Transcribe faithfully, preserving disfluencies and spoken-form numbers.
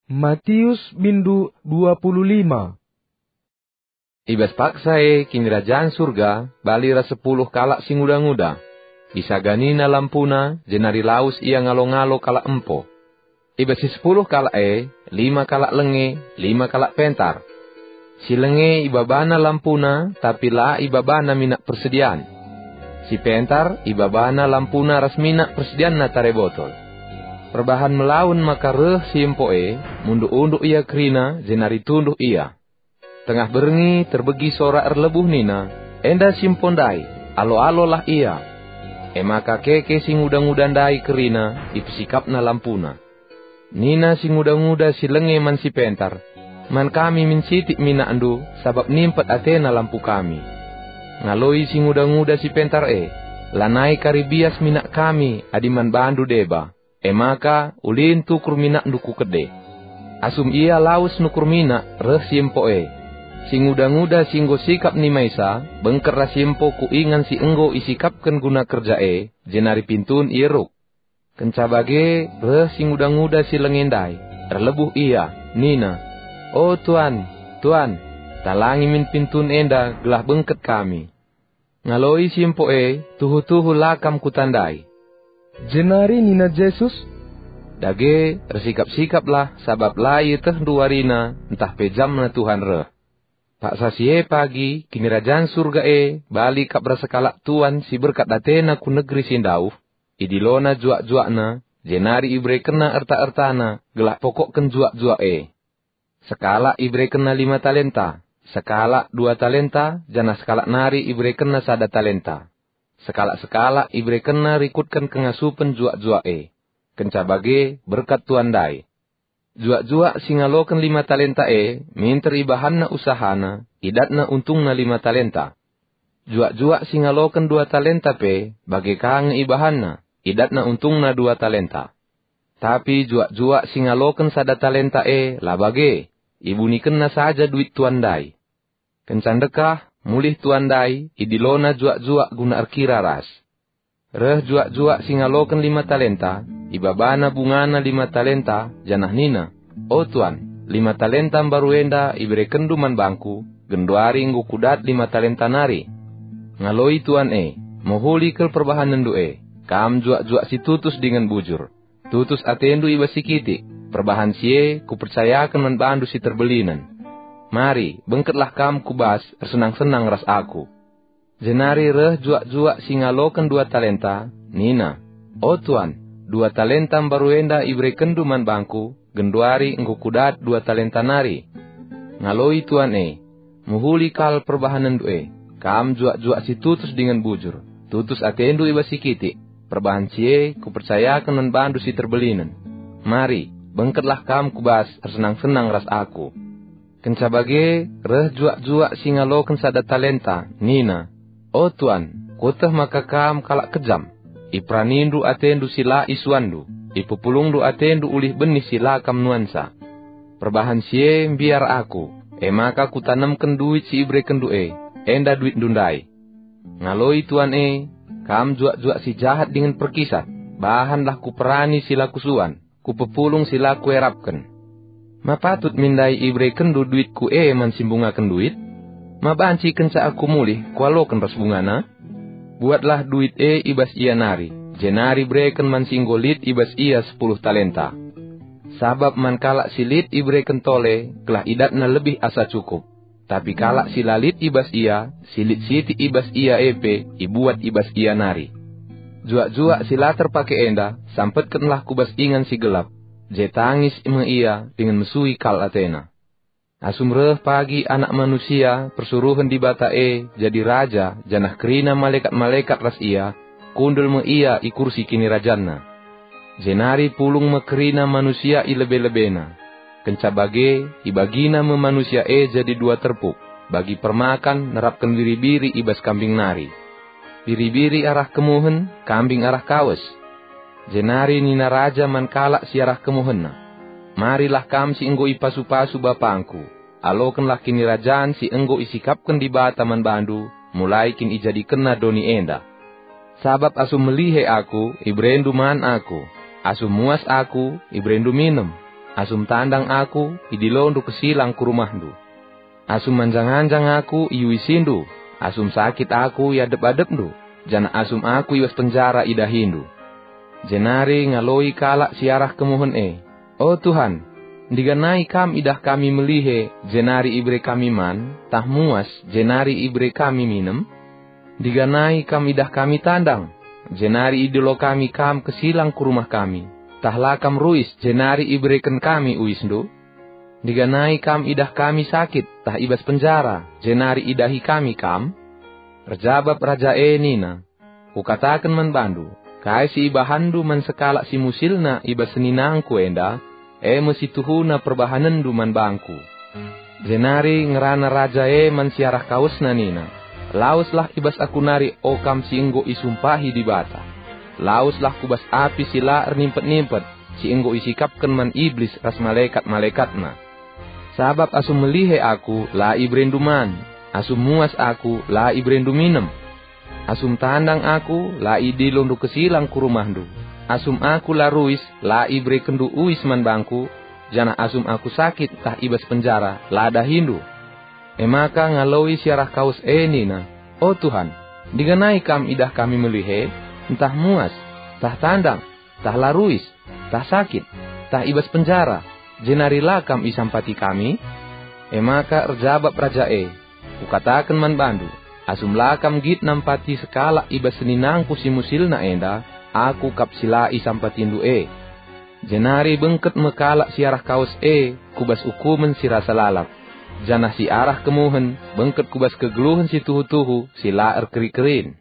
Matius bindu dua puluh lima. I bas paksa e Kinirajan Surga bali ras sepuluh kalak si nguda-nguda. Isaganina lampuna, jenari lawes ia ngalo-ngalo kalak empo. I bas si sepuluh kalak e, lima kalak lenge, lima kalak pentar. Si lenge ibabana lampuna, tapi la ibabana minak persedian. Si pentar ibabana lampuna ras minak persedianna tare botol. Perbahan melawen maka reh si empo e, munduk-unduk ia kerina, jenari tunduh ia. Tengah berngi terbegi sora erlebuh nina, "Enda si empo ndai, alo-alolah ia." E maka keke si nguda-nguda ndai kerina, ipesikapna lampuna. Nina si nguda-nguda si lenge man si pentar, "Man kami min sitik minakndu, sabap nimpet atena lampu kami." Ngaloi si nguda-nguda si pentar e, "Lanai kari bias minak kami adi man bandu deba, e maka ulin tukur minakndu ku kede." Asum ia lawes nukur minak, reh si empo e. Si nguda-nguda si enggo sikap nimaisa, bengket ras si empo ku ingan si enggo isikapken guna kerja e, jenari pintun ieruk. Kenca bage reh si nguda-nguda si lenge ndai, erlebuh ia, nina, "O Tuan, Tuan, talangi min pintun enda gelah bengket kami." Ngaloi si empo e, "Tuhu-tuhu la kam kutandai." Jenari nina Jesus, "Dage, ersikap-sikaplah, sabap la ietehndu warina ntah pe jamna Tuhan reh." Paksa si e pagi, Kinirajan Surga e bali kap ras sekalak tuan si berkat atena ku negeri si ndauh, idilona juak-juakna, jenari iberekenna erta-ertana gelah pokokken juak-juak e. Sekalak iberekenna lima talenta, sekalak dua talenta, janah sekalak nari iberekenna sada talenta. Sekalak-sekalak iberekenna rikutken kengasupen juak-juak e. Kenca bage, berkat tuan ndai. Juak-juak si ngaloken lima talenta e minter ibahanna usahana, idatna untungna lima talenta. Juak-juak si ngaloken dua talenta pe bage ka nge ibahanna, idatna untungna dua talenta. Tapi juak-juak si ngaloken sada talenta e la bage, ibunikenna saja duit tuan ndai. Kenca ndekah, mulih tuan ndai, idilona juak-juak guna erkira ras. Reh juak-juak si ngaloken lima talenta, ibabana bungana lima talenta, janah nina, "O Tuan, lima talenta mbaru enda iberekenndu man bangku, genduari enggo kudat lima talenta nari." Ngaloi tuan e, "Mehuli kal perbahanenndu e, kam juak-juak si tutus dingen bujur. Tutus atendu i bas si kitik, perbahan si e kupercayaken man bandu si terbelinen. Mari, bengketlah kam ku bas, ersenang-senang ras aku." Jenari reh juak-juak si ngaloken dua talenta, nina, "O Tuan, dua talenta mbaru enda iberekenndu man bangku, genduari enggo kudat dua talenta nari." Ngaloi tuan e, "Mehuli kal perbahanenndu e, kam juak-juak si tutus dingen bujur, tutus atendu i bas si kitik, perbahan si e kupercayaken man bandu si terbelinen. Mari, bengketlah kam ku bas, ersenang-senang ras aku." Kenca bage, reh juak-juak si ngaloken sada talenta, nina, "O Tuan, kueteh maka kam kalak kejam. Iperanindu atendu si la isuanndu, ipepulungndu atendu ulih benih si la kam nuansa. Perbahan si e mbiar aku, e maka kutanemken duit si iberekenndu e, enda duitndu ndai." Ngaloi tuan e, "Kam juak-juak si jahat dingen perkisat, bahanlah kuperani si la kusuan, kupepulung si la kuerapken. Ma patut min ndai iberekenndu duitku e man si mbungaken duit? Ma banci kenca aku mulih kualoken ras bungana?" Buatlah duit e i bas ia nari, jenari bereken man si enggo lit i bas ia sepuluh talenta. Sabap man kalak si lit ibereken tole, gelah idatna lebih asa cukup. Tapi kalak si la lit i bas ia, si lit sitik i bas ia e pe ibuat i bas ia nari. Juak-juak si la terpake enda, sampetkenlah ku bas ingan si gelap, je tangis me ia dingen mesui kal atena. Asum reh pagi Anak Manusia persuruhen Dibata e jadi Raja janah kerina malekat-malekat ras ia, kundul me ia i kursi kinirajanna. Jenari pulung me kerina manusia i lebe-lebena. Kenca bage, ibagina me manusia e jadi dua terpuk, bagi permakan nerapken biri-biri i bas kambing nari. Biri-biri arah kemuhen, kambing arah kawes. Jenari nina raja man kalak si arah kemuhenna, "Marilah kam si enggo ipasu-pasu bapangku, alokenlah kinirajan si enggo isikapken Dibata man bandu, mulai kin ijadikenna doni enda. Sabap asum melihe aku, iberendu man aku, asum muas aku, iberendu minem. Asum tandang aku, idilondu kesilang ku rumahndu. Asum manjang-anjang aku, iuisindu. Asum sakit aku, iadep-adepndu, janah asum aku i bas penjara idahindu. Jenari ngaloi kalak si arah kemuhen e, "O Tuhan, ndiganai Kam idah kami melihe, jenari ibere kami man, tah muas, jenari ibere kami minem? Ndiganai Kam idah kami tandang, jenari idilo kami Kam kesilang ku rumah kami, tah la Kam ruis, jenari ibereken kami uisndu? Ndiganai Kam idah kami sakit, tah i bas penjara, jenari idahi kami Kam?" Erjabap raja e nina, "Kukataken man bandu, kai si ibahanndu man sekalak si musilna i bas seninangku enda, e me si tuhuna perbahanenndu man bangku." Jenari ngerana raja e man si arah kawesna nina, "Laweslah i bas aku nari, o kam si enggo isumpahi Dibata. Laweslah ku bas api si la ernimpet-nimpet, si enggo isikapken man Iblis ras malekat-malekatna. Sabap asum melihe aku, la iberendu man, asum muas aku, la iberendu minem. Asum tandang aku, la idilondu kesilang ku rumahndu. Asum aku la ruis, la iberekenndu uis man bangku, janah asum aku sakit tah i bas penjara, la dahindu." E maka ngaloi si arah kawes e nina, "O Tuhan, ndiganai Kam idah kami melihe, ntah muas, ntah tandang, ntah la ruis, ntah sakit, ntah i bas penjara, jenari la Kam isampati kami?" E maka erjabap raja e, "Kukataken man bandu, asum la kam nggit nampati sekalak i bas seninangku si musilna enda, aku kap si la isampatindu e." Jenari bengket me kalak si arah kawes e ku bas ukumen si rasa lalap, janah si arah kemuhen bengket ku bas kegeluhen si tuhu-tuhu si la erkeri-kerin.